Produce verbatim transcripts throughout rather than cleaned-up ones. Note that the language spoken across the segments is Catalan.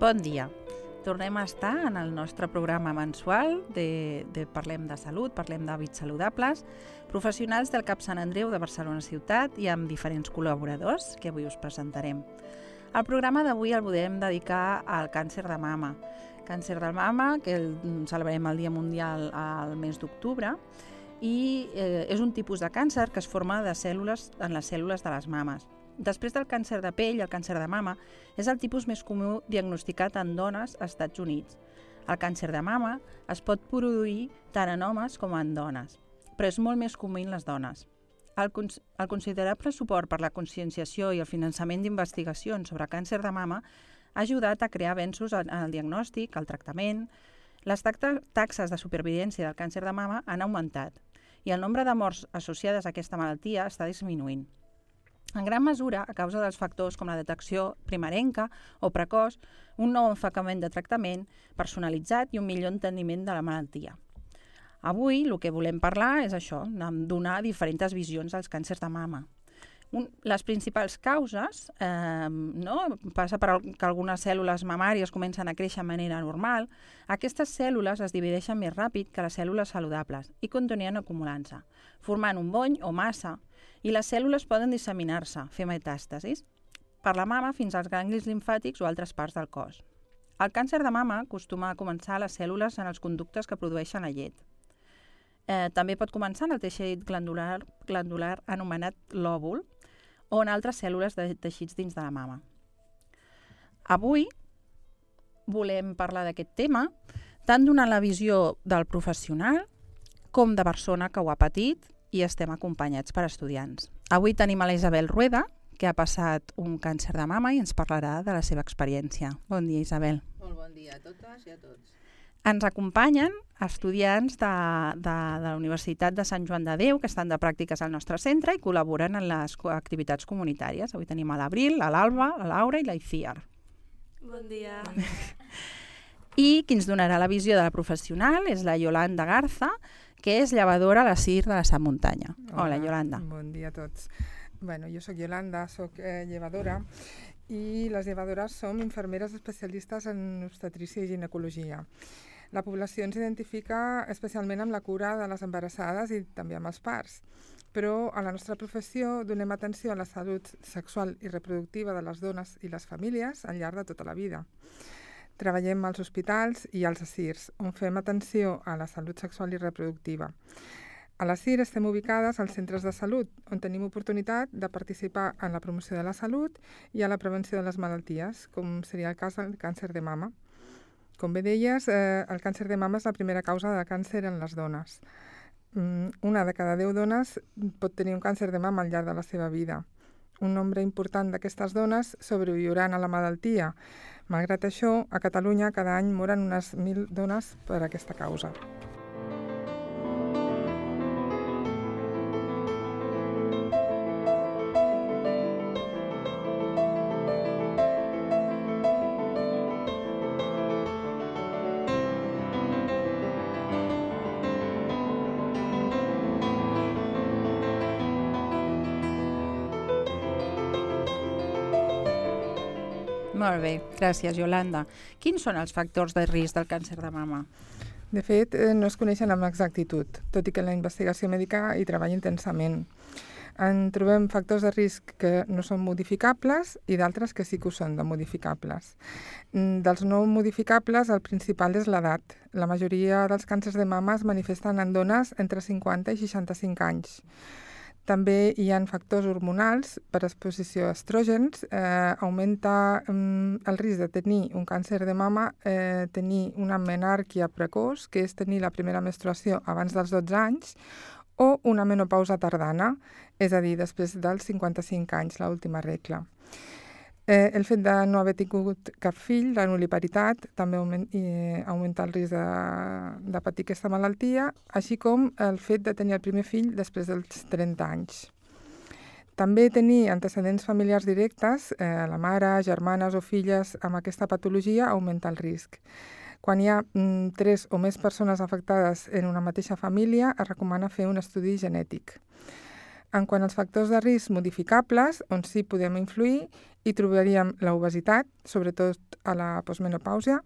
Bon dia. Tornem a estar en el nostre programa mensual de, de Parlem de Salut, Parlem d'Hàbits Saludables, professionals del CAP Sant Andreu de Barcelona Ciutat i amb diferents col·laboradors que avui us presentarem. El programa d'avui el podem dedicar al càncer de mama. Càncer de mama, que el, celebrem el Dia Mundial al mes d'octubre, i eh, és un tipus de càncer que es forma de cèl·lules en les cèl·lules de les mames. Després del càncer de pell, el càncer de mama és el tipus més comú diagnosticat en dones als Estats Units. El càncer de mama es pot produir tant en homes com en dones, però és molt més comú en les dones. El, cons el considerable suport per la conscienciació i el finançament d'investigacions sobre càncer de mama ha ajudat a crear avenços en el diagnòstic, el tractament. Les taxes de supervivència del càncer de mama han augmentat i el nombre de morts associades a aquesta malaltia està disminuint. En gran mesura, a causa dels factors com la detecció primerenca o precoç, un nou enfocament de tractament personalitzat i un millor enteniment de la malaltia. Avui el que volem parlar és això, donar diferents visions als càncers de mama. Un, les principals causes eh, no? passa per que algunes cèl·lules mamàries comencen a créixer de manera normal. Aquestes cèl·lules es divideixen més ràpid que les cèl·lules saludables i continuen acumulant-se, formant un bony o massa, i les cèl·lules poden disseminar-se, fer metàstasis, per la mama fins als ganglis limfàtics o altres parts del cos. El càncer de mama acostuma a començar a les cèl·lules en els conductes que produeixen la llet. Eh, també pot començar en el teixit glandular, glandular anomenat lòbul, o en altres cèl·lules de teixits dins de la mama. Avui volem parlar d'aquest tema, tant donant la visió del professional com de persona que ho ha patit i estem acompanyats per estudiants. Avui tenim a la Isabel Rueda, que ha passat un càncer de mama i ens parlarà de la seva experiència. Bon dia, Isabel. Molt bon dia a totes i a tots. Ens acompanyen estudiants de, de, de la Universitat de Sant Joan de Déu que estan de pràctiques al nostre centre i col·laboren en les activitats comunitàries. Avui tenim a l'Abril, a l'Alba, la Laura i la Iciar. Bon dia. I qui ens donarà la visió de la professional és la Yolanda Garza, que és llevadora a la C I R de la Sant Muntanya. Hola, Hola Yolanda. Bon dia a tots. Bueno, jo soc Yolanda, soc eh, llevadora i les llevadores som infermeres especialistes en obstetrícia i ginecologia. La població ens identifica especialment amb la cura de les embarassades i també amb els parts, però a la nostra professió donem atenció a la salut sexual i reproductiva de les dones i les famílies al llarg de tota la vida. Treballem als hospitals i als A S I Rs, on fem atenció a la salut sexual i reproductiva. A la C I R estem ubicades als centres de salut, on tenim oportunitat de participar en la promoció de la salut i a la prevenció de les malalties, com seria el cas del càncer de mama. Com bé deies, eh, el càncer de mama és la primera causa de càncer en les dones. Mm, una de cada deu dones pot tenir un càncer de mama al llarg de la seva vida. Un nombre important d'aquestes dones sobreviuran a la malaltia. Malgrat això, a Catalunya cada any moren unes mil dones per aquesta causa. Molt bé, gràcies, Yolanda. Quins són els factors de risc del càncer de mama? De fet, eh, no es coneixen amb exactitud, tot i que la investigació mèdica hi treballa intensament. En trobem factors de risc que no són modificables i d'altres que sí que ho són, de modificables. Dels no modificables, el principal és l'edat. La majoria dels càncers de mama es manifesten en dones entre cinquanta i seixanta-cinc anys. També hi ha factors hormonals per exposició a estrògens, eh, augmenta eh, el risc de tenir un càncer de mama, eh, tenir una menàrquia precoç, que és tenir la primera menstruació abans dels dotze anys, o una menopausa tardana, és a dir, després dels cinquanta-cinc anys, l'última regla. Eh, el fet de no haver tingut cap fill, la nuliparitat, també augment, eh, augmenta el risc de, de patir aquesta malaltia, així com el fet de tenir el primer fill després dels trenta anys. També tenir antecedents familiars directes, eh, la mare, germanes o filles amb aquesta patologia augmenta el risc. Quan hi ha mm, tres o més persones afectades en una mateixa família, es recomana fer un estudi genètic. En quant als factors de risc modificables, on sí podem influir, hi trobaríem l'obesitat, sobretot a la postmenopàusia,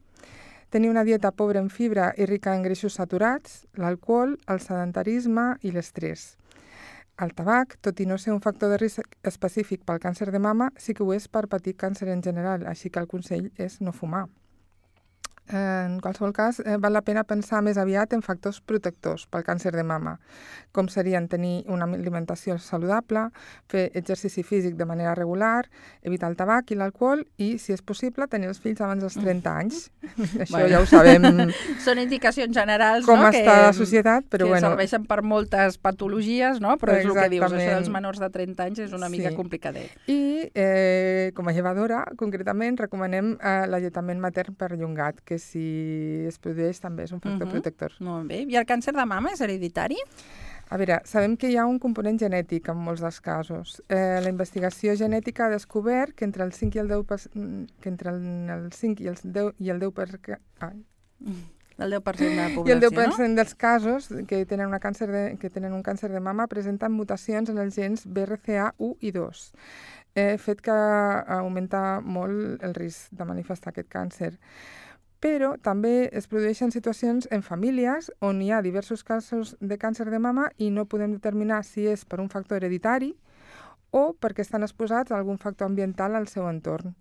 tenir una dieta pobra en fibra i rica en greixos saturats, l'alcohol, el sedentarisme i l'estrès. El tabac, tot i no ser un factor de risc específic pel càncer de mama, sí que ho és per patir càncer en general, així que el consell és no fumar. En qualsevol cas, eh, val la pena pensar més aviat en factors protectors pel càncer de mama, com serien tenir una alimentació saludable, fer exercici físic de manera regular, evitar el tabac i l'alcohol i, si és possible, tenir els fills abans dels trenta anys. Això Bueno. ja ho sabem Són indicacions generals, com no? està que, la societat, però que bueno. serveixen per moltes patologies, no? Però és el que dius, això Exactament. dels menors de trenta anys és una mica Sí. complicadet. I, eh, com a llevadora, concretament, recomanem eh, l'alletament matern perllongat, que si es produeix també és un factor Mhm. protector. Molt bé. I el càncer de mama és hereditari? A veure, sabem que hi ha un component genètic en molts dels casos. Eh, la investigació genètica ha descobert que entre el cinc i el deu per cent, que entre el, el cinc i el deu i el deu per cent, ai, El deu per cent de la i població, el deu per no? cent dels casos que tenen, una càncer de, que tenen un càncer de mama presenten mutacions en els gens B R C A u i dos, eh, fet que augmenta molt el risc de manifestar aquest càncer. Però també es produeixen situacions en famílies on hi ha diversos casos de càncer de mama i no podem determinar si és per un factor hereditari o perquè estan exposats a algun factor ambiental al seu entorn.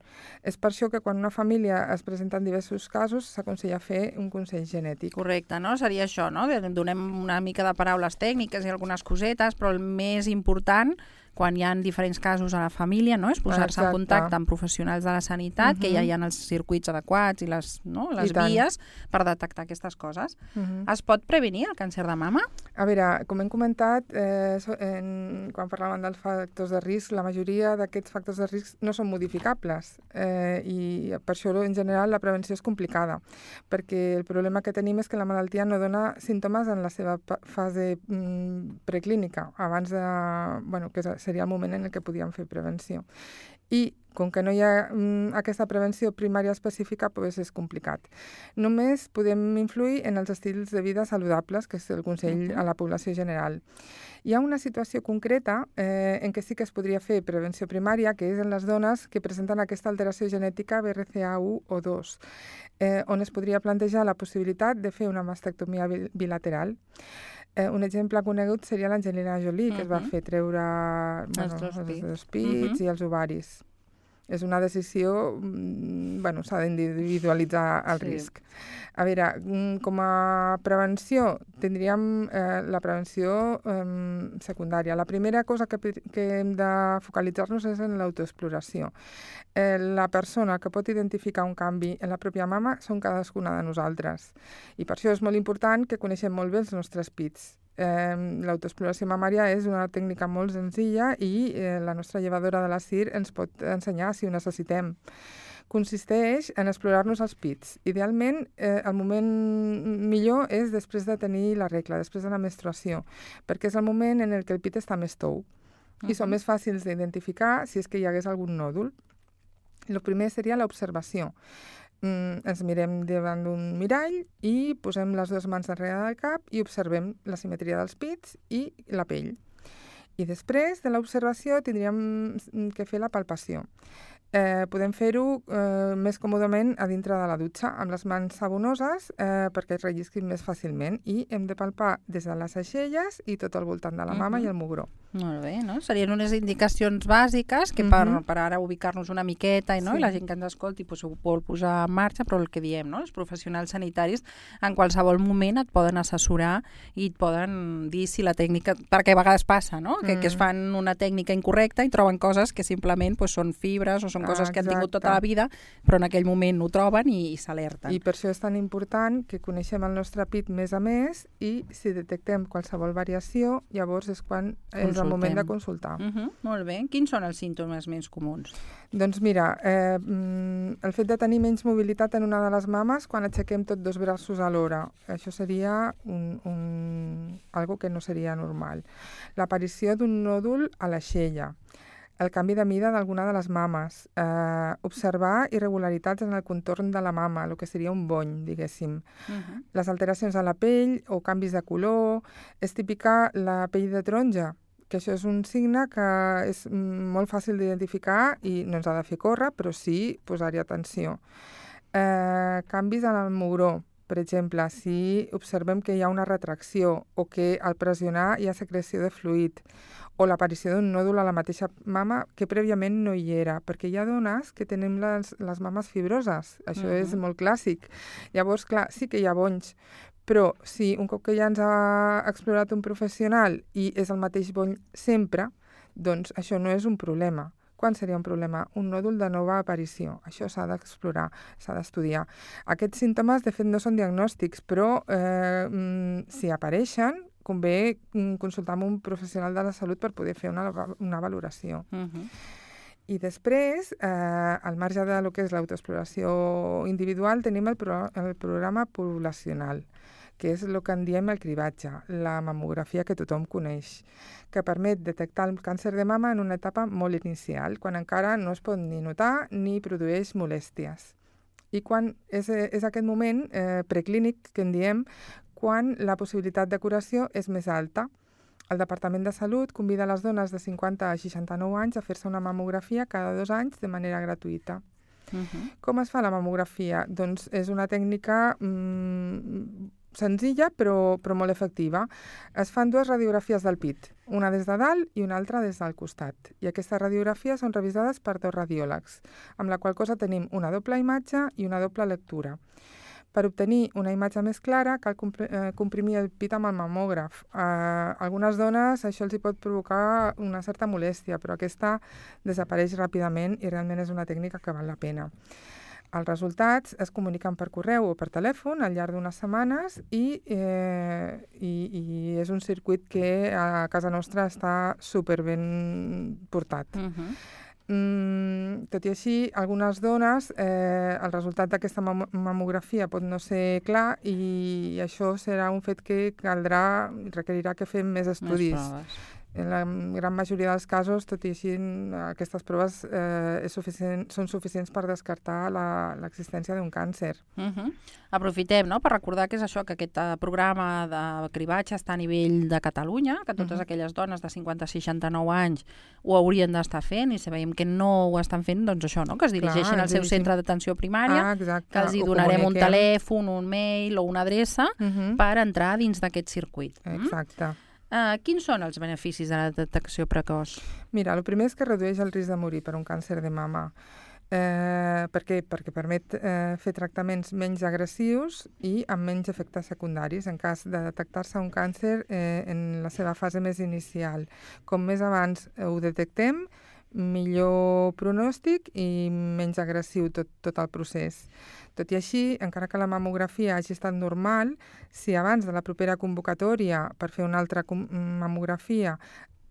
És per això que quan una família es presenta en diversos casos s'aconsella fer un consell genètic. Correcte, no? Seria això, no? Donem una mica de paraules tècniques i algunes cosetes, però el més important, quan hi ha diferents casos a la família, no? És posar-se en Exacte. contacte amb professionals de la sanitat, Mhm. que ja hi ha els circuits adequats i les, no? les I tant. vies per detectar aquestes coses. Mhm. Es pot prevenir el càncer de mama? A veure, com hem comentat, eh, so- en, quan parlàvem dels factors de risc, la majoria d'aquests factors de risc no són modificables eh, i per això, en general, la prevenció és complicada, perquè el problema que tenim és que la malaltia no dona símptomes en la seva pa- fase mm, preclínica, abans de... Bueno, que seria el moment en el que podíem fer prevenció. I com que no hi ha mm, aquesta prevenció primària específica, doncs és complicat. Només podem influir en els estils de vida saludables, que és el consell Mhm. a la població general. Hi ha una situació concreta eh, en què sí que es podria fer prevenció primària, que és en les dones que presenten aquesta alteració genètica B R C A u o dos, eh, on es podria plantejar la possibilitat de fer una mastectomia bil- bilateral. Eh, un exemple conegut seria l'Angelina Jolie, que es va Mhm. fer treure bueno, Els dos els pits. dos pits Mhm. i els ovaris. És una decisió, mm, bueno, s'ha d'individualitzar el Sí. risc. A veure, mm, com a prevenció, tindríem eh, la prevenció eh, secundària. La primera cosa que, pe- que hem de focalitzar-nos és en l'autoexploració. Eh, la persona que pot identificar un canvi en la pròpia mama són cadascuna de nosaltres. I per això és molt important que coneixem molt bé els nostres pits. Eh, L'autoexploració mamària és una tècnica molt senzilla i eh, la nostra llevadora de la C I R ens pot ensenyar si ho necessitem. Consisteix en explorar-nos els pits. Idealment, eh, el moment millor és després de tenir la regla, després de la menstruació, perquè és el moment en el que el pit està més tou i són Mhm. més fàcils d'identificar si és que hi hagués algun nòdul. El primer seria l'observació. Mm, ens mirem davant d'un mirall i posem les dues mans darrere del cap i observem la simetria dels pits i la pell. I després de l'observació tindríem que fer la palpació. Eh, podem fer-ho eh, més còmodament a dintre de la dutxa, amb les mans sabonoses, eh, perquè es rellisquin més fàcilment. I hem de palpar des de les aixelles i tot al voltant de la mama Mhm. i el mugró. Molt bé, no? Serien unes indicacions bàsiques que per, Mhm. per ara ubicar-nos una miqueta i, no? Sí. I la gent que ens escolti pues, ho vol posar en marxa, però el que diem, no? Els professionals sanitaris en qualsevol moment et poden assessorar i et poden dir si la tècnica... Perquè a vegades passa, no? Que, Mm. que es fan una tècnica incorrecta i troben coses que simplement pues, són fibres o són coses que han tingut tota la Exacte. vida, però en aquell moment ho troben i, i s'alerten. I per això és tan important que coneixem el nostre pit més a més i si detectem qualsevol variació, llavors és quan és el moment de consultar. Uh -huh, molt bé. Quins són els símptomes més comuns? Doncs mira, eh, mm, el fet de tenir menys mobilitat en una de les mames quan aixequem tots dos braços alhora, això seria un, un, algo que no seria normal. L'aparició d'un nòdul a l'aixella, el canvi de mida d'alguna de les mames, eh, observar irregularitats en el contorn de la mama, el que seria un bony, diguéssim. Uh -huh. Les alteracions a la pell o canvis de color, és típica la pell de taronja, que que això és un signe que és molt fàcil d'identificar i no ens ha de fer córrer, però sí posar-hi atenció. Eh, canvis en el mugró. Per exemple, si observem que hi ha una retracció o que al pressionar hi ha secreció de fluid o l'aparició d'un nòdul a la mateixa mama que prèviament no hi era, perquè hi ha dones que tenim les, les mames fibroses. Això uh-huh. és molt clàssic. Llavors, clar, sí que hi ha bonys, però si un cop que ja ens ha explorat un professional i és el mateix bony sempre, doncs això no és un problema. Quan seria un problema? Un nòdul de nova aparició. Això s'ha d'explorar, s'ha d'estudiar. Aquests símptomes, de fet, no són diagnòstics, però eh, si apareixen, convé consultar amb un professional de la salut per poder fer una, una valoració. Uh-huh. I després, eh, al marge de lo que és l'autoexploració individual, tenim el, pro el programa poblacional, que és el que en diem el cribatge, la mamografia que tothom coneix, que permet detectar el càncer de mama en una etapa molt inicial, quan encara no es pot ni notar ni produeix molèsties. I quan és, és aquest moment eh, preclínic, que en diem, quan la possibilitat de curació és més alta. El Departament de Salut convida les dones de cinquanta a seixanta-nou anys a fer-se una mamografia cada dos anys de manera gratuïta. Uh-huh. Com es fa la mamografia? Doncs és una tècnica mmm, senzilla però, però molt efectiva. Es fan dues radiografies del pit, una des de dalt i una altra des del costat. I aquestes radiografies són revisades per dos radiòlegs, amb la qual cosa tenim una doble imatge i una doble lectura. Per obtenir una imatge més clara cal comprimir el pit amb el mamògraf. A algunes dones això els hi pot provocar una certa molèstia, però aquesta desapareix ràpidament i realment és una tècnica que val la pena. Els resultats es comuniquen per correu o per telèfon al llarg d'unes setmanes i, eh, i, i és un circuit que a casa nostra està superben portat. Uh-huh. Mm, tot i així, algunes dones, eh, el resultat d'aquesta mam mamografia pot no ser clar i això serà un fet que caldrà, requerirà que fem més estudis. Més proves. En la gran majoria dels casos, tot i així, aquestes proves eh, és suficient, són suficients per descartar l'existència d'un càncer. Uh-huh. Aprofitem, no?, per recordar que és això, que aquest programa de cribatge està a nivell de Catalunya, que totes uh-huh. aquelles dones de cinquanta a seixanta-nou anys ho haurien d'estar fent, i si veiem que no ho estan fent, doncs això, no?, que es dirigeixin Clar, al seu dirigim... centre d'atenció primària, ah, que els hi donarem un telèfon, un mail o una adreça uh-huh. per entrar dins d'aquest circuit. Exacte. Mm? Uh, quins són els beneficis de la detecció precoç? Mira, el primer és que redueix el risc de morir per un càncer de mama. Eh, per què? Perquè permet eh, fer tractaments menys agressius i amb menys efectes secundaris en cas de detectar-se un càncer eh, en la seva fase més inicial. Com més abans ho detectem, millor pronòstic i menys agressiu tot, tot el procés. Tot i així, encara que la mamografia hagi estat normal, si abans de la propera convocatòria per fer una altra mamografia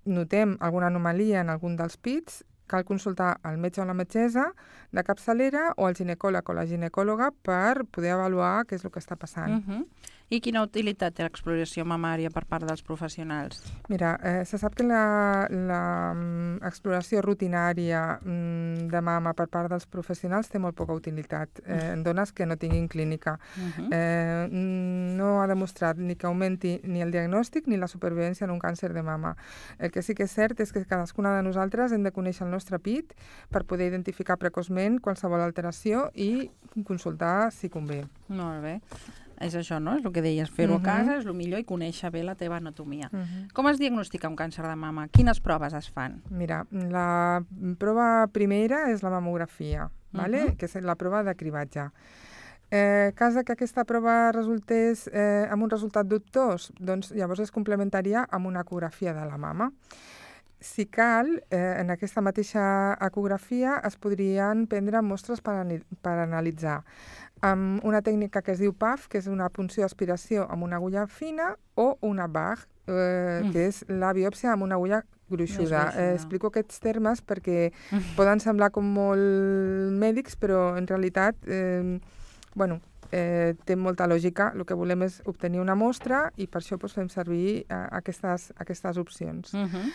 notem alguna anomalia en algun dels pits, cal consultar el metge o la metgessa de capçalera o el ginecòleg o la ginecòloga per poder avaluar què és el que està passant. Uh-huh. I quina utilitat té l'exploració mamària per part dels professionals? Mira, eh, se sap que l'exploració rutinària mm, de mama per part dels professionals té molt poca utilitat eh, en dones que no tinguin clínica. Uh-huh. eh, no ha demostrat ni que augmenti ni el diagnòstic ni la supervivència en un càncer de mama. El que sí que és cert és que cadascuna de nosaltres hem de conèixer el nostre pit per poder identificar precoçment qualsevol alteració i consultar si convé. Molt bé. És això, no? És el que deies, fer-ho uh-huh. a casa és el millor i conèixer bé la teva anatomia. Uh-huh. Com es diagnostica un càncer de mama? Quines proves es fan? Mira, la prova primera és la mamografia, uh-huh. vale? Que és la prova de cribatge. Eh, cas que aquesta prova resultés eh, amb un resultat dubtós, doncs llavors es complementaria amb una ecografia de la mama. Si cal, eh, en aquesta mateixa ecografia es podrien prendre mostres per, per analitzar amb una tècnica que es diu P A F, que és una punció-aspiració amb una agulla fina, o una B A G, eh, mm. que és la biòpsia amb una agulla gruixuda. Eh, explico aquests termes perquè mm. poden semblar com molt mèdics, però en realitat eh, bueno, eh, té molta lògica. El que volem és obtenir una mostra i per això doncs, fem servir eh, aquestes, aquestes opcions. Mm-hmm.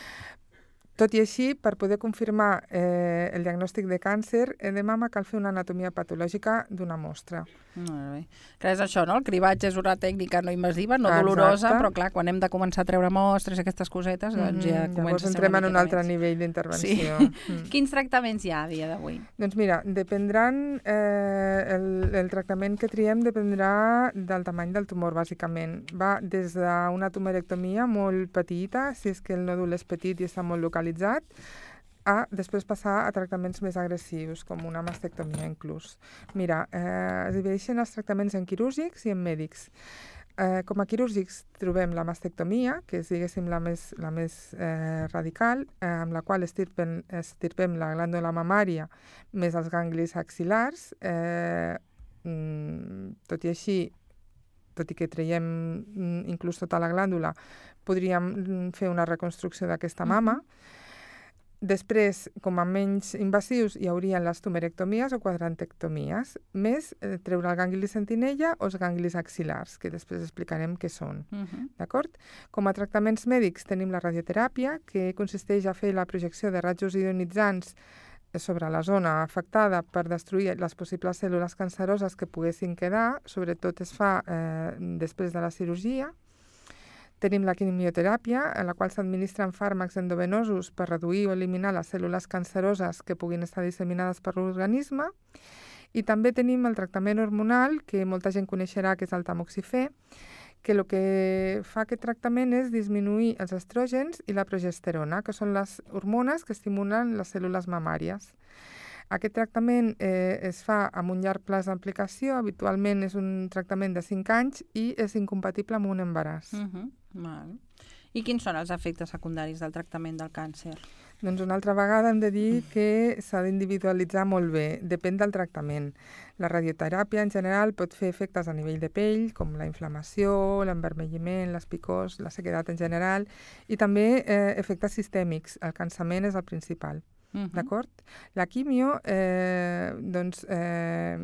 Tot i així, per poder confirmar eh, el diagnòstic de càncer de mama cal fer una anatomia patològica d'una mostra. Molt bé. Que és això, no? El cribatge és una tècnica no invasiva, no Exacte. dolorosa, però clar, quan hem de començar a treure mostres i aquestes cosetes, doncs ja Mm-hmm. comença Llavors a ser entrem una en un miqueta altre més. nivell d'intervenció. Sí. Mm. Quins tractaments hi ha a dia d'avui? Doncs mira, dependran, eh, el, el tractament que triem dependrà del tamany del tumor, bàsicament. Va des d'una tumorectomia molt petita, si és que el nòdul és petit i està molt localitzat, a després passar a tractaments més agressius, com una mastectomia inclús. Mira, eh, es divideixen els tractaments en quirúrgics i en mèdics. Eh, com a quirúrgics trobem la mastectomia, que és, diguéssim, la més, la més eh, radical, eh, amb la qual estirpem, estirpem la glàndula mamària més els ganglis axil·lars. Eh, mm, tot i així, tot i que traiem mm, inclús tota la glàndula, podríem mm, fer una reconstrucció d'aquesta mama. Després, com a menys invasius, hi haurien les tumerectomies o quadrantectomies, més eh, treure el gangli sentinella o els ganglis axil·lars, que després explicarem què són. Uh-huh. D'acord? Com a tractaments mèdics tenim la radioteràpia, que consisteix a fer la projecció de rajos ionitzants sobre la zona afectada per destruir les possibles cèl·lules canceroses que poguessin quedar, sobretot es fa eh, després de la cirurgia. Tenim la quimioteràpia, en la qual s'administren fàrmacs endovenosos per reduir o eliminar les cèl·lules canceroses que puguin estar disseminades per l'organisme. I també tenim el tractament hormonal, que molta gent coneixerà, que és el tamoxifè, que el que fa aquest tractament és disminuir els estrògens i la progesterona, que són les hormones que estimulen les cèl·lules mamàries. Aquest tractament eh, es fa amb un llarg plaç d'aplicació, habitualment és un tractament de cinc anys i és incompatible amb un embaràs. Uh-huh. Val. I quins són els efectes secundaris del tractament del càncer? Doncs una altra vegada hem de dir que s'ha d'individualitzar molt bé, depèn del tractament. La radioteràpia en general pot fer efectes a nivell de pell, com la inflamació, l'envermelliment, les picors, la sequedat en general, i també eh, efectes sistèmics. El cansament és el principal. Uh-huh. D'acord? La quimio, eh, doncs, eh,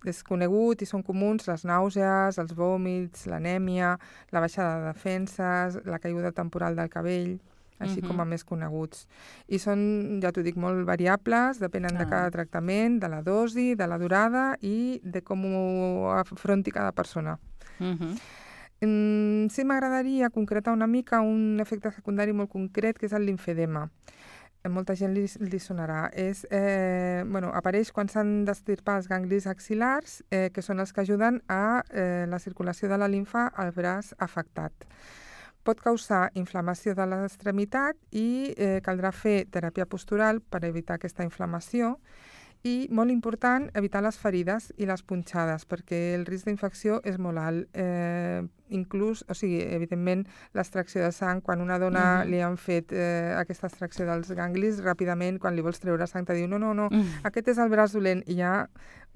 és conegut i són comuns les nàusees, els vòmits, l'anèmia, la baixada de defenses, la caiguda temporal del cabell, així uh-huh. com a més coneguts. I són, ja t'ho dic, molt variables, depenen ah. de cada tractament, de la dosi, de la durada i de com ho afronti cada persona. Uh-huh. Mm, sí m'agradaria concretar una mica un efecte secundari molt concret, que és el limfedema. Molta gent li, li sonarà. És, eh, bueno, apareix quan s'han d'estirpar els ganglis axil·lars, eh, que són els que ajuden a eh, la circulació de la limfa al braç afectat. Pot causar inflamació de l'extremitat i eh, caldrà fer teràpia postural per evitar aquesta inflamació. I, molt important, evitar les ferides i les punxades, perquè el risc d'infecció és molt alt. Eh, inclús, o sigui, evidentment, l'extracció de sang, quan una dona uh-huh. li han fet eh, aquesta extracció dels ganglis, ràpidament, quan li vols treure sang, te diu, no, no, no, uh-huh. aquest és el braç dolent, i ja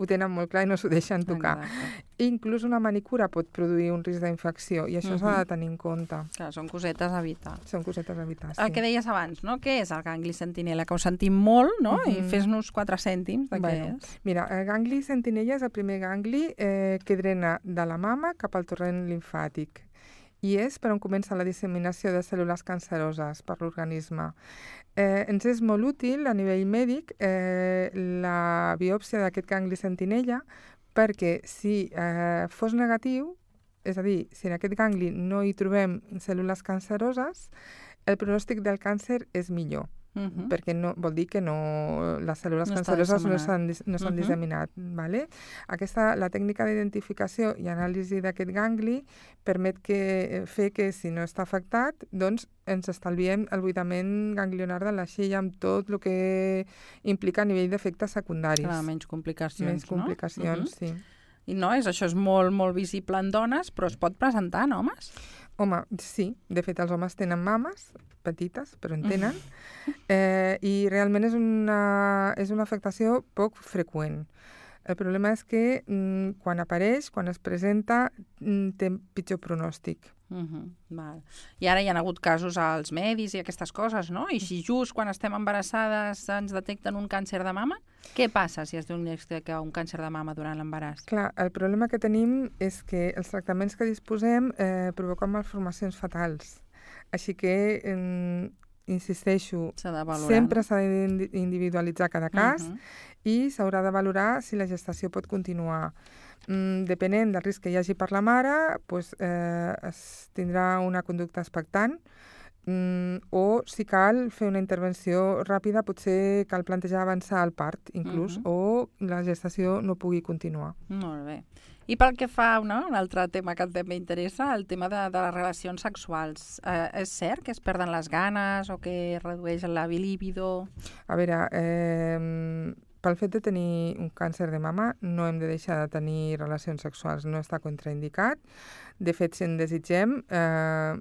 ho tenen molt clar i no s'ho deixen tocar. Exacte. Inclús una manicura pot produir un risc d'infecció, i això uh-huh. s'ha de tenir en compte. Clar, són cosetes a evitar. Són cosetes a evitar, sí. El que deies abans, no? Què és el gangli sentinella? Que ho sentim molt, no? Uh-huh. I fes-nos quatre cèntims de bueno, què és. Mira, el gangli sentinella és el primer gangli eh, que drena de la mama cap al torrent limfàtic. I és per on comença la disseminació de cèl·lules canceroses per l'organisme. Eh, ens és molt útil a nivell mèdic eh, la biòpsia d'aquest gangli sentinella, perquè si eh, fos negatiu, és a dir, si en aquest gangli no hi trobem cèl·lules canceroses, el pronòstic del càncer és millor. Uh-huh. Perquè no, vol dir que no, les cèl·lules no canceroses no s'han no s'han uh-huh. disseminat. Vale? Aquesta, la tècnica d'identificació i anàlisi d'aquest gangli permet que, fer que si no està afectat, doncs ens estalviem el buidament ganglionar de la xella amb tot el que implica a nivell d'efectes secundaris. Clar, menys complicacions, menys complicacions, no? Uh-huh. sí. I no, és, això és molt, molt visible en dones, però es pot presentar en homes? Home, sí. De fet, els homes tenen mames petites, però en tenen. Eh, I realment és una, és una afectació poc freqüent. El problema és que mm, quan apareix, quan es presenta, mm, té pitjor pronòstic. Uh-huh. Val. I ara hi ha hagut casos als medis i aquestes coses, no? I si just quan estem embarassades ens detecten un càncer de mama, què passa si es diagnostica un càncer de mama durant l'embaràs? Clar, el problema que tenim és que els tractaments que disposem eh, provoquen malformacions fatals. Així que eh, insisteixo, S'ha de valorar, sempre no? s'ha d'individualitzar cada cas Mhm. i s'haurà de valorar si la gestació pot continuar. Mm, depenent del risc que hi hagi per la mare, pues, eh, es tindrà una conducta expectant, mm, o si cal fer una intervenció ràpida, potser cal plantejar avançar el part, inclús, Mhm. o la gestació no pugui continuar. Molt bé. I pel que fa, no, un altre tema que també interessa, el tema de, de les relacions sexuals. Eh, és cert que es perden les ganes o que es redueix la líbido? A veure, eh, pel fet de tenir un càncer de mama no hem de deixar de tenir relacions sexuals, no està contraindicat. De fet, si en desitgem, eh,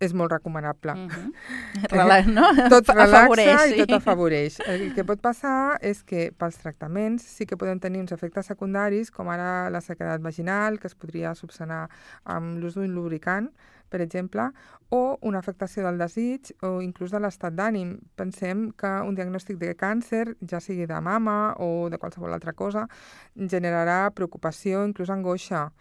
és molt recomanable. Mhm. Rela- no? Tot relaxa Afavoreix, i tot sí. afavoreix. El que pot passar és que pels tractaments sí que poden tenir uns efectes secundaris, com ara la sequedat vaginal, que es podria subsanar amb l'ús d'un lubricant, per exemple, o una afectació del desig o inclús de l'estat d'ànim. Pensem que un diagnòstic de càncer, ja sigui de mama o de qualsevol altra cosa, generarà preocupació, inclús angoixa.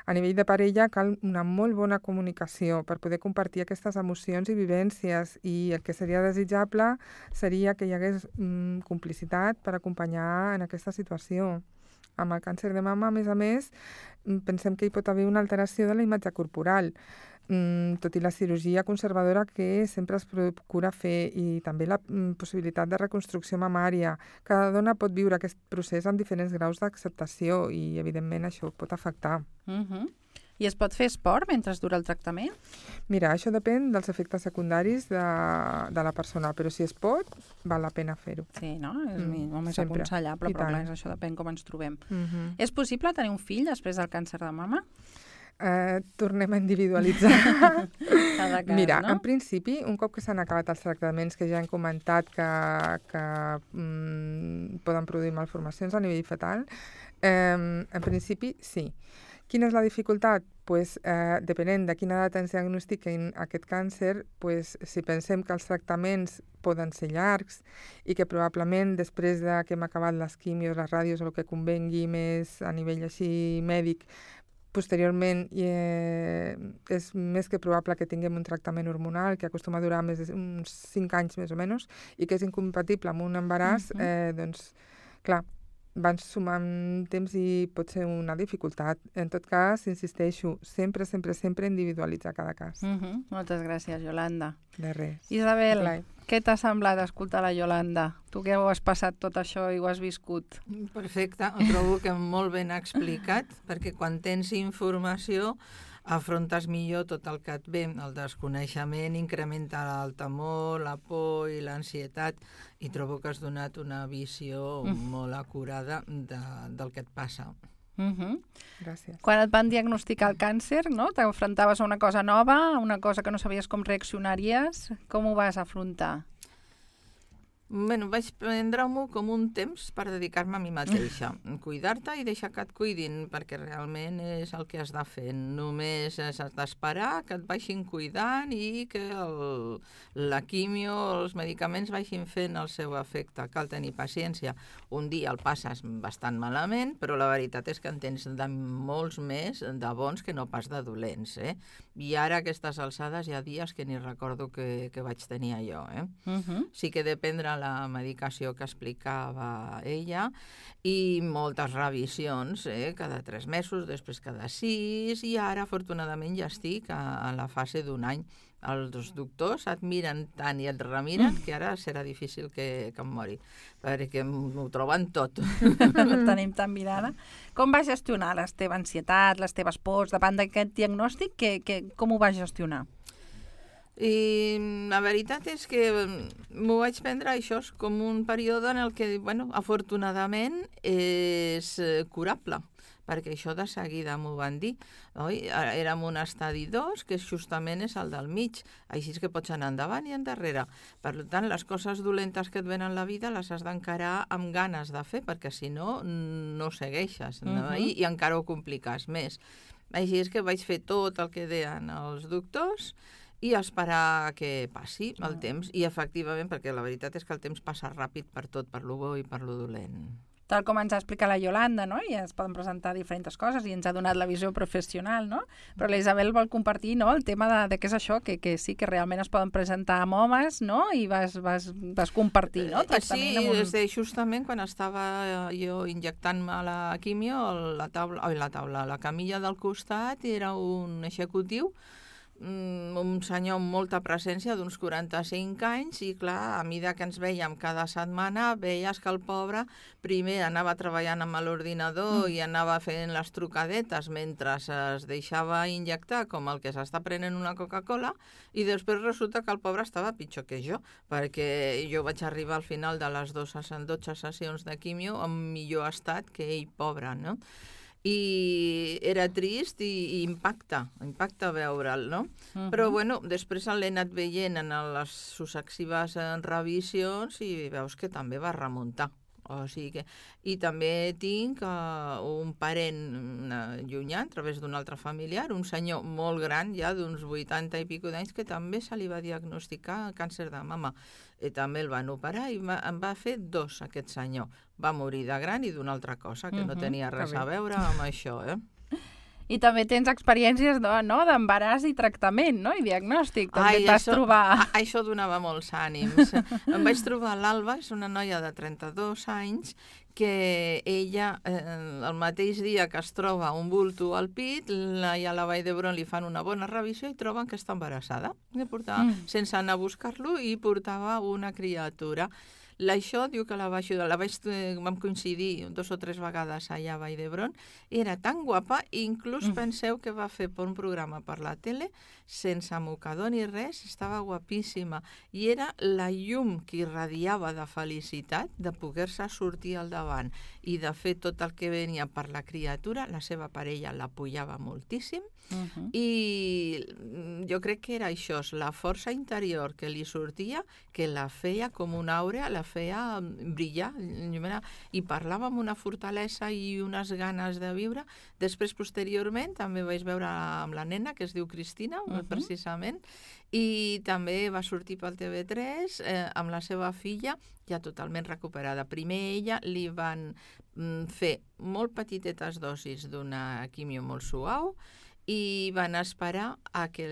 A nivell de parella cal una molt bona comunicació per poder compartir aquestes emocions i vivències, i el que seria desitjable seria que hi hagués mm, complicitat per acompanyar en aquesta situació. Amb el càncer de mama, a més a més, mm, pensem que hi pot haver una alteració de la imatge corporal, mm, tot i la cirurgia conservadora que sempre es procura fer, i també la mm, possibilitat de reconstrucció mamària. Cada dona pot viure aquest procés amb diferents graus d'acceptació i, evidentment, això pot afectar. Mhm. I es pot fer esport mentre dura el tractament? Mira, això depèn dels efectes secundaris de, de la persona, però si es pot, val la pena fer-ho. Sí, no? És Mm, molt més sempre. aconsellable, I però clar, tant. això depèn com ens trobem. Mm-hmm. És possible tenir un fill després del càncer de mama? Eh, tornem a individualitzar. Cada cas, Mira, no? en principi, un cop que s'han acabat els tractaments que ja hem comentat que, que mm, poden produir malformacions a nivell fetal, eh, en principi sí. Quina és la dificultat? Pues, eh, depenent de quina edat ens diagnostiquin aquest càncer, pues, si pensem que els tractaments poden ser llargs i que probablement després de que hem acabat les quimios, les ràdios o el que convengui més a nivell així mèdic, posteriorment eh, és més que probable que tinguem un tractament hormonal que acostuma a durar més de uns cinc anys més o menys i que és incompatible amb un embaràs, Mhm. eh, doncs, clar, van sumant temps i pot ser una dificultat. En tot cas, insisteixo, sempre, sempre, sempre individualitzar cada cas. Mhm. Moltes gràcies, Yolanda. De res. Isabel, Clar. què t'ha semblat escoltar la Yolanda? Tu que ho has passat tot això i ho has viscut. Perfecte, ho trobo que molt ben explicat, perquè quan tens informació afrontes millor tot el que et ve. El desconeixement incrementa el temor, la por i l'ansietat, i trobo que has donat una visió Mm. molt acurada de, del que et passa. Mhm. Gràcies. Quan et van diagnosticar el càncer, no? T'enfrontaves a una cosa nova, a una cosa que no sabies com reaccionaries. Com ho vas afrontar? Bueno, vaig prendre-m'ho com un temps per dedicar-me a mi mateixa. Cuidar-te i deixar que et cuidin, perquè realment és el que has de fer. Només has d'esperar que et vagin cuidant i que el, la quimio, els medicaments vagin fent el seu efecte. Cal tenir paciència. Un dia el passes bastant malament, però la veritat és que en tens de molts més de bons que no pas de dolents, eh? I ara, a aquestes alçades, hi ha dies que ni recordo que, que vaig tenir allò, eh? Mhm. Sí que depèn de la medicació que explicava ella i moltes revisions, eh? Cada tres mesos, després cada sis, i ara afortunadament ja estic a, a la fase d'un any. Els doctors et miren tant i et remiren que ara serà difícil que, que em mori, perquè m'ho troben tot. La tenim tan mirada. Com vas gestionar la teva ansietat, les teves pors davant d'aquest diagnòstic? Que, que, com ho vas gestionar? I la veritat és que m'ho vaig prendre això com un període en el que, bueno, afortunadament és curable, perquè això de seguida m'ho van dir. Oi? Érem un estadi dos, que justament és el del mig, així que pots anar endavant i endarrere. Per tant, les coses dolentes que et venen a la vida les has d'encarar amb ganes de fer, perquè si no, no segueixes, no? Uh-huh. I, i encara ho compliques més. Així és que vaig fer tot el que deien els doctors i esperar que passi el temps. I efectivament, perquè la veritat és que el temps passa ràpid per tot, per lo bo i per lo dolent. tal com ens ha explicat la Yolanda, no? I es poden presentar diferents coses i ens ha donat la visió professional, no? Però la Isabel vol compartir, no?, el tema de, de què és això, que, que sí que realment es poden presentar amb homes, no? I vas, vas, vas compartir, no?, tractament sí, amb un... Sí, justament quan estava jo injectant-me la quimio, la taula, oi, la taula, la camilla del costat era un executiu, un senyor amb molta presència d'uns quaranta-cinc anys i clar, a mesura que ens veiem cada setmana veies que el pobre primer anava treballant amb l'ordinador mm. i anava fent les trucadetes mentre es deixava injectar com el que s'està prenent una Coca-Cola i després resulta que el pobre estava pitjor que jo, perquè jo vaig arribar al final de les dotze sessions de quimio en millor estat que ell, pobre, no? I era trist i, i impacta, impacta veure'l, no? Uh-huh. Però, bueno, després l'he anat veient en les successives revisions i veus que també va remuntar. O sigui que... I també tinc uh, un parent uh, llunyà, a través d'un altre familiar, un senyor molt gran, ja d'uns vuitanta i pico d'anys, que també se li va diagnosticar càncer de mama. I també el van operar i va, en va fer dos, aquest senyor. Va morir de gran i d'una altra cosa, que uh-huh, no tenia res a veure amb això, eh? I també tens experiències d'embaràs i tractament, no? I diagnòstic. També Ai, et vas això, trobar... A, això donava molts ànims. Em vaig trobar l'Alba, és una noia de trenta-dos anys, que ella, eh, el mateix dia que es troba un bulto al pit, la, i a la Vall d'Hebron li fan una bona revisió i troben que està embarassada. I portava, mm. sense anar a buscar-lo, i portava una criatura. L'això diu que la vaig ajudar, la vaig, vam coincidir dos o tres vegades allà a Vall d'Hebron, era tan guapa, inclús mm. penseu que va fer per un programa per la tele, sense mocador ni res, estava guapíssima, i era la llum que irradiava de felicitat de poder-se sortir al davant i de fer tot el que venia per la criatura. La seva parella l'apoyava moltíssim, uh-huh. i jo crec que era això, la força interior que li sortia, que la feia com una àurea, la feia brillar, i parlava amb una fortalesa i unes ganes de viure. Després, posteriorment, també vaig veure amb la nena, que es diu Cristina, uh-huh. precisament, i també va sortir pel T V tres eh, amb la seva filla, ja totalment recuperada. Primer ella li van mm, fer molt petitetes dosis d'una quimio molt suau, i van esperar a que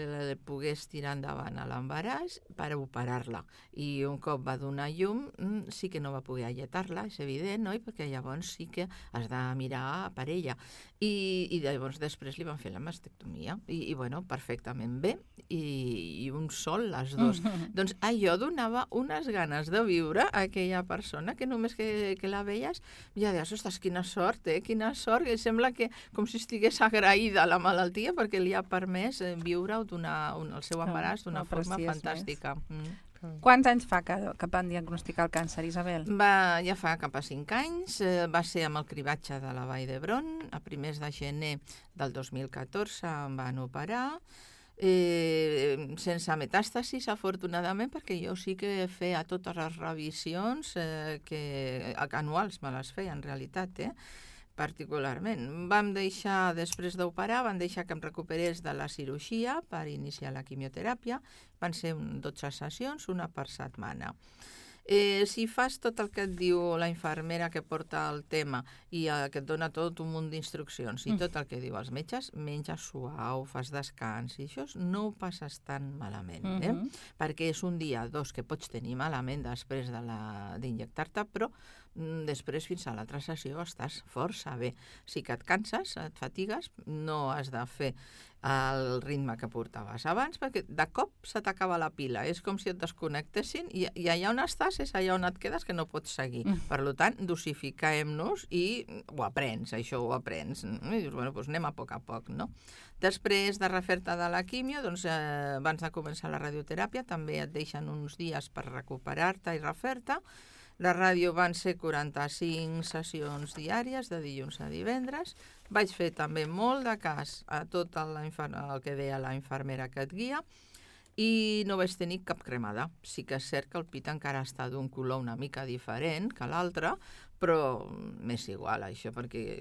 pogués tirar endavant a l'embaràs per operar-la. I un cop va donar llum, sí que no va poder alletar-la, és evident, no? I perquè llavors sí que has de mirar per ella. I, i llavors després li van fer la mastectomia. I, i bueno, perfectament bé. I, i un sol, les dos. Mm-hmm. Doncs allò donava unes ganes de viure a aquella persona que només que, que la veies ja deies, ostres, quina sort, eh? Quina sort. I sembla que com si estigués agraïda a la malaltia perquè li ha permès viure una, un, el seu embaràs d'una oh, forma fantàstica. Mm. Quants anys fa que, que van diagnosticar el càncer, Isabel? Va, ja fa cap a cinc anys. Eh, va ser amb el cribatge de la Vall d'Hebron. A primers de gener del dos mil catorze em van operar. Eh, sense metàstasis, afortunadament, perquè jo sí que feia totes les revisions eh, que anuals me les feia, en realitat, eh? particularment. Vam deixar, després d'operar, van deixar que em recuperés de la cirurgia per iniciar la quimioteràpia. Van ser dotze sessions, una per setmana. Eh, si fas tot el que et diu la infermera que porta el tema i eh, que et dona tot un munt d'instruccions i tot el que diu els metges, menges suau, fas descans i això no ho passes tan malament, eh? Uh-huh. Perquè és un dia, dos, que pots tenir malament després de la, d'injectar-te, però mm, després fins a l'altra sessió estàs força bé. Si que et canses, et fatigues, no has de fer el ritme que portaves abans, perquè de cop se t'acaba la pila. És com si et desconnectessin i, i allà on estàs és allà on et quedes que no pots seguir. Mm. Per tant, dosifiquem-nos i ho aprens, això ho aprens. I dius, bueno, doncs anem a poc a poc, no? Després de refer-te de la quimio, doncs, eh, abans de començar la radioteràpia, també et deixen uns dies per recuperar-te i refer-te. La ràdio van ser quaranta-cinc sessions diàries, de dilluns a divendres. Vaig fer també molt de cas a tot el, el que deia la infermera que et guia i no vaig tenir cap cremada. Sí que és cert que el pit encara està d'un color una mica diferent que l'altre, però m'és igual això, perquè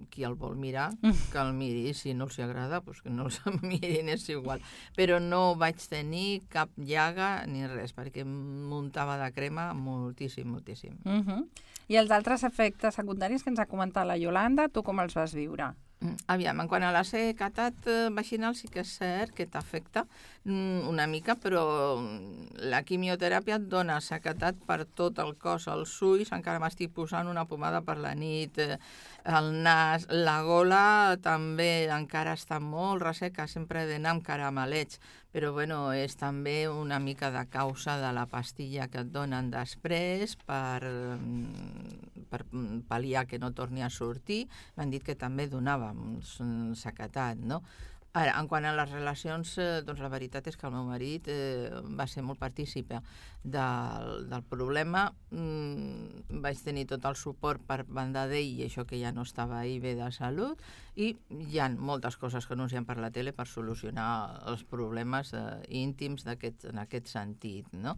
qui el vol mirar, que el miri, si no els agrada, doncs que no els mirin, és igual. Però no vaig tenir cap llaga ni res, perquè muntava de crema moltíssim, moltíssim. Uh-huh. I els altres efectes secundaris que ens ha comentat la Iolanda, tu com els vas viure? Aviam, en quant a la sequedat vaginal sí que és cert que t'afecta una mica, però la quimioteràpia et dona sequedat per tot el cos, els ulls, encara m'estic posant una pomada per la nit, el nas, la gola també encara està molt resseca, sempre he d'anar amb caramelets, però bueno, és també una mica de causa de la pastilla que et donen després per, per pal·liar que no torni a sortir. M'han dit que també donava sequetat, no? Ara, en quant a les relacions, eh, doncs la veritat és que el meu marit eh, va ser molt partícipe del, del problema. Mm, vaig tenir tot el suport per banda d'ell i això que ja no estava ahí bé de salut, i hi ha moltes coses que anuncien per la tele per solucionar els problemes eh, íntims d'aquest, en aquest sentit, no?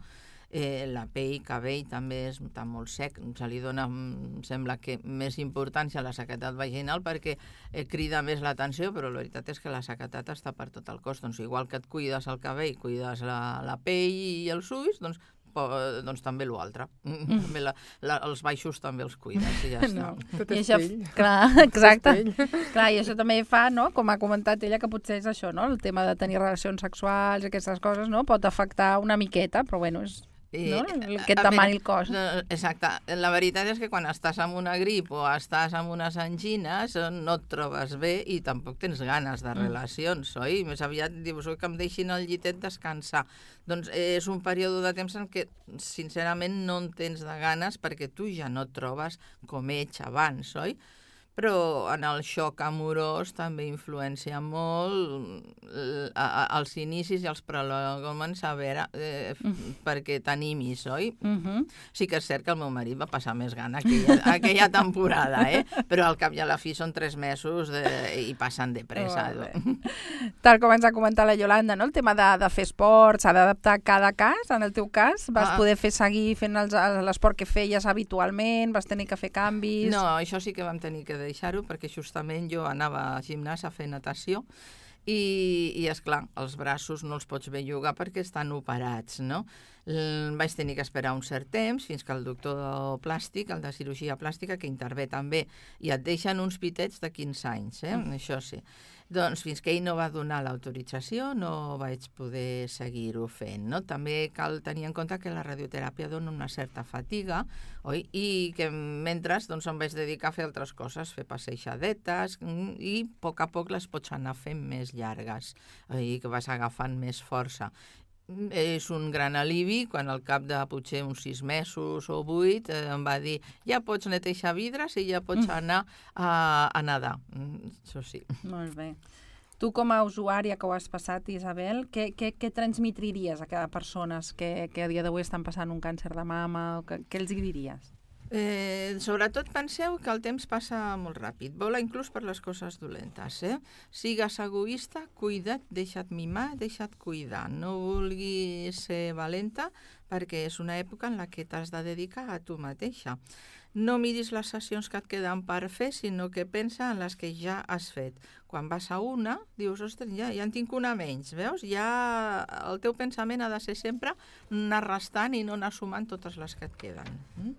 Eh, la pell, cabell també està molt sec, se li dona, em sembla que més importància a la sequedat vaginal perquè eh, crida més l'atenció, però la veritat és que la sequedat està per tot el cos, doncs igual que et cuides el cabell, cuides la, la pell i els ulls, doncs, po, doncs també l'altre. Mm. També la, la, els baixos també els cuides i ja està. No, tot I és això, pell. clar, exacte. Clar, i això també fa, no?, com ha comentat ella, que potser és això, no?, el tema de tenir relacions sexuals i aquestes coses, no?, pot afectar una miqueta, però bueno, és... no? El que et demani el cos. Exacte. La veritat és que quan estàs amb una grip o estàs amb unes angines no et trobes bé i tampoc tens ganes de relacions, oi? Més aviat dius que em deixin al llitet descansar. Doncs és un període de temps en què sincerament no en tens de ganes perquè tu ja no et trobes com ets abans, oi? Però en el xoc amorós també influencia molt a, a, els inicis i els prolongaments a veure, eh, perquè t'animis, oi? Uh-huh. Sí que és cert que el meu marit va passar més gana aquella, aquella temporada, eh? Però al cap i a la fi són tres mesos de, i passen de pressa. Oh, tal com ens ha comentat la Iolanda, no? El tema de, de fer esport s'ha d'adaptar a cada cas. En el teu cas vas ah. poder fer seguir fent els, l'esport que feies habitualment, vas tenir que fer canvis... No, això sí que vam tenir que deixar-ho perquè justament jo anava a gimnàs a fer natació i, i esclar, els braços no els pots bellugar perquè estan operats, no? L- vaig tenir que esperar un cert temps fins que el doctor plàstic, el de cirurgia plàstica, que intervé també, i et deixen uns pitets de quinze anys, eh? Mm. Això sí. Doncs fins que ell no va donar l'autorització no vaig poder seguir-ho fent, no? També cal tenir en compte que la radioteràpia dona una certa fatiga, oi? I que mentre doncs, em vaig dedicar a fer altres coses, fer passeixadetes, i a poc a poc les pots anar fent més llargues, i que vas agafant més força. És un gran alivi quan al cap de potser uns sis mesos o vuit eh, em va dir ja pots netejar vidres i ja pots anar a, a nedar. Això sí. Molt bé. Tu com a usuària que ho has passat, Isabel, què, què, què transmitiries a cada persona que, que a dia d'avui estan passant un càncer de mama? O que, què els hi diries? Eh, sobretot penseu que el temps passa molt ràpid, vola inclús per les coses dolentes, eh? Sigues egoista, cuida't, deixa't mimar, deixa't cuidar. No vulguis ser valenta perquè és una època en la que t'has de dedicar a tu mateixa. No miris les sessions que et queden per fer, sinó que pensa en les que ja has fet. Quan vas a una, dius, ostres, ja, ja en tinc una menys, veus? Ja el teu pensament ha de ser sempre anar restant i no anar sumant totes les que et queden. Mm?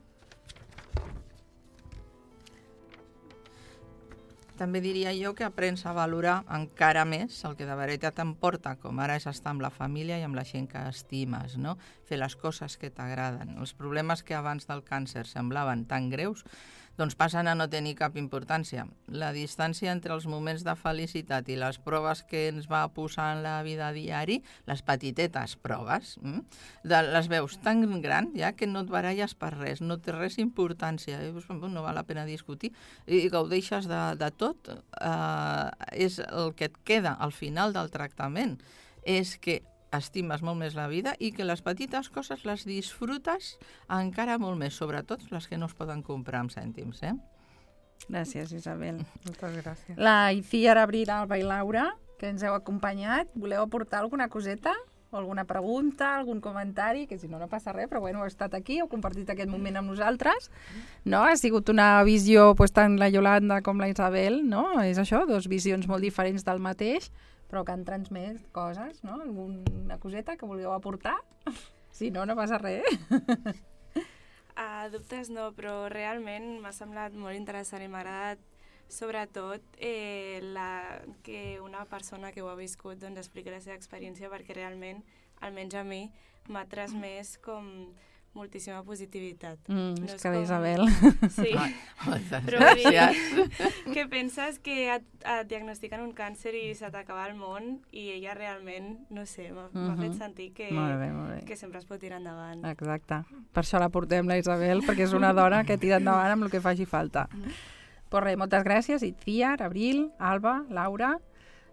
També diria jo que aprens a valorar encara més el que de veritat t'emporta, com ara és estar amb la família i amb la gent que estimes, no? Fer les coses que t'agraden. Els problemes que abans del càncer semblaven tan greus, doncs passen a no tenir cap importància. La distància entre els moments de felicitat i les proves que ens va posar en la vida diari, les petitetes proves, hm? de, les veus tan gran ja que no et baralles per res, no té res importància, no val la pena discutir, i gaudeixes de, de tot. Eh, és el que et queda al final del tractament, és que estimes molt més la vida i que les petites coses les disfrutes encara molt més, sobretot les que no es poden comprar amb cèntims, eh? Gràcies, Isabel. Moltes gràcies. La Icíar, Abril, Alba i Laura, que ens heu acompanyat, voleu aportar alguna coseta o alguna pregunta, algun comentari, que si no, no passa res, però bueno, heu estat aquí, heu compartit aquest moment amb nosaltres, no? Ha sigut una visió, pues, tant la Yolanda com la Isabel, no? És això, dos visions molt diferents del mateix, però que han transmès coses, no? Alguna coseta que vulgueu aportar? Si no, no passa res. A dubtes no, però realment m'ha semblat molt interessant i m'ha agradat sobretot eh, la, que una persona que ho ha viscut doncs, expliqui la seva experiència, perquè realment, almenys a mi, m'ha transmès com moltíssima positivitat. Mm, no és és que com... Isabel. Sí, Moltes però vull dir gràcies. que penses que et, et diagnostiquen un càncer i se t'acaba el món i ella realment, no sé, m'ha Mhm. fet sentir que, Molt bé, molt bé. que sempre es pot tirar endavant. Exacte. Per això la portem, la Isabel, perquè és una dona que tira endavant amb el que faci falta. Pues res, moltes gràcies, Itziar, Abril, Alba, Laura.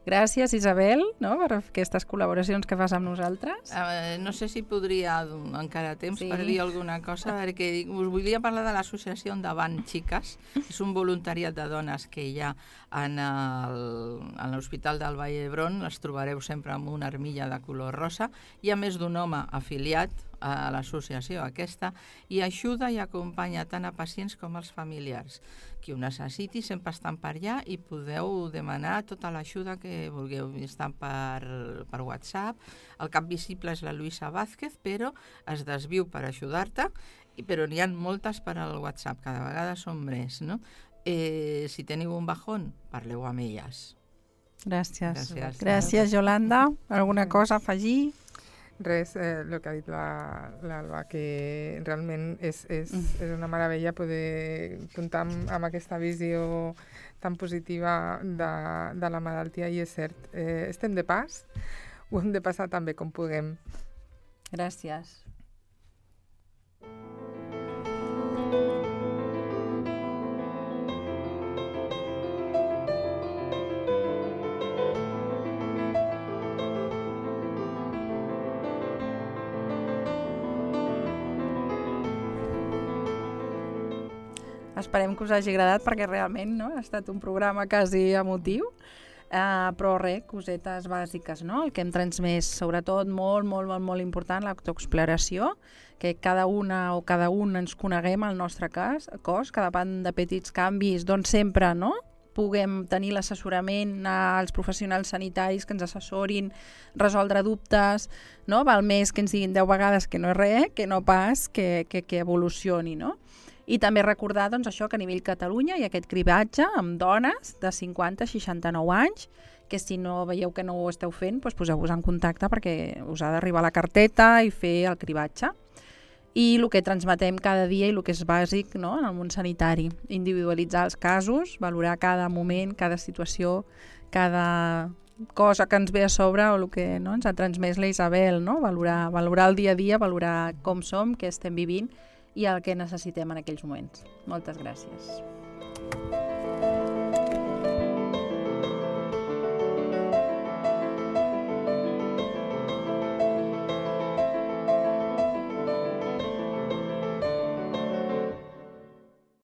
Gràcies, Isabel, no?, per aquestes col·laboracions que fas amb nosaltres. Uh, no sé si podria encara temps Sí. sí. per dir alguna cosa, perquè us volia parlar de l'associació Endavant Xiques. És un voluntariat de dones que hi ha en el- en l'Hospital del Vall d'Hebron. Les trobareu sempre amb una armilla de color rosa. Hi ha més d'un home afiliat a l'associació aquesta i ajuda i acompanya tant a pacients com als familiars. Qui ho necessiti sempre estan per allà i podeu demanar tota l'ajuda que vulgueu. Estan per, per WhatsApp. El cap visible és la Luisa Vázquez, però es desviu per ajudar-te, i- però n'hi ha moltes per al WhatsApp, cada vegada són més, no? Eh, si teniu un bajón, parleu amb elles. Gràcies. Gràcies. Gràcies, Yolanda. Alguna cosa a afegir? Res, eh, el que ha dit la- l'Alba, que realment és, és, és una meravella poder comptar amb, amb aquesta visió tan positiva de, de la malaltia, i és cert, eh, estem de pas, ho hem de passar tan bé com puguem. Gràcies. Esperem que us hagi agradat, perquè realment, no?, ha estat un programa quasi emotiu, uh, però res, cosetes bàsiques, no? El que hem transmès, sobretot, molt, molt, molt, molt important, l'autoexploració, que cada una o cada un ens coneguem el nostre cas, cos, que davant de petits canvis, doncs sempre, no?, puguem tenir l'assessorament als professionals sanitaris que ens assessorin, resoldre dubtes, no? Val més que ens diguin deu vegades que no és res, que no pas que, que, que evolucioni, no? I també recordar, doncs, això, que a nivell Catalunya hi ha aquest cribatge amb dones de cinquanta a seixanta-nou anys, que si no veieu que no ho esteu fent, doncs poseu-vos en contacte perquè us ha d'arribar la carteta i fer el cribatge. I el que transmetem cada dia i el que és bàsic, no?, en el món sanitari, individualitzar els casos, valorar cada moment, cada situació, cada cosa que ens ve a sobre o el que, no?, ens ha transmès la Isabel, no?, valorar, valorar el dia a dia, valorar com som, què estem vivint i el que necessitem en aquells moments. Moltes gràcies.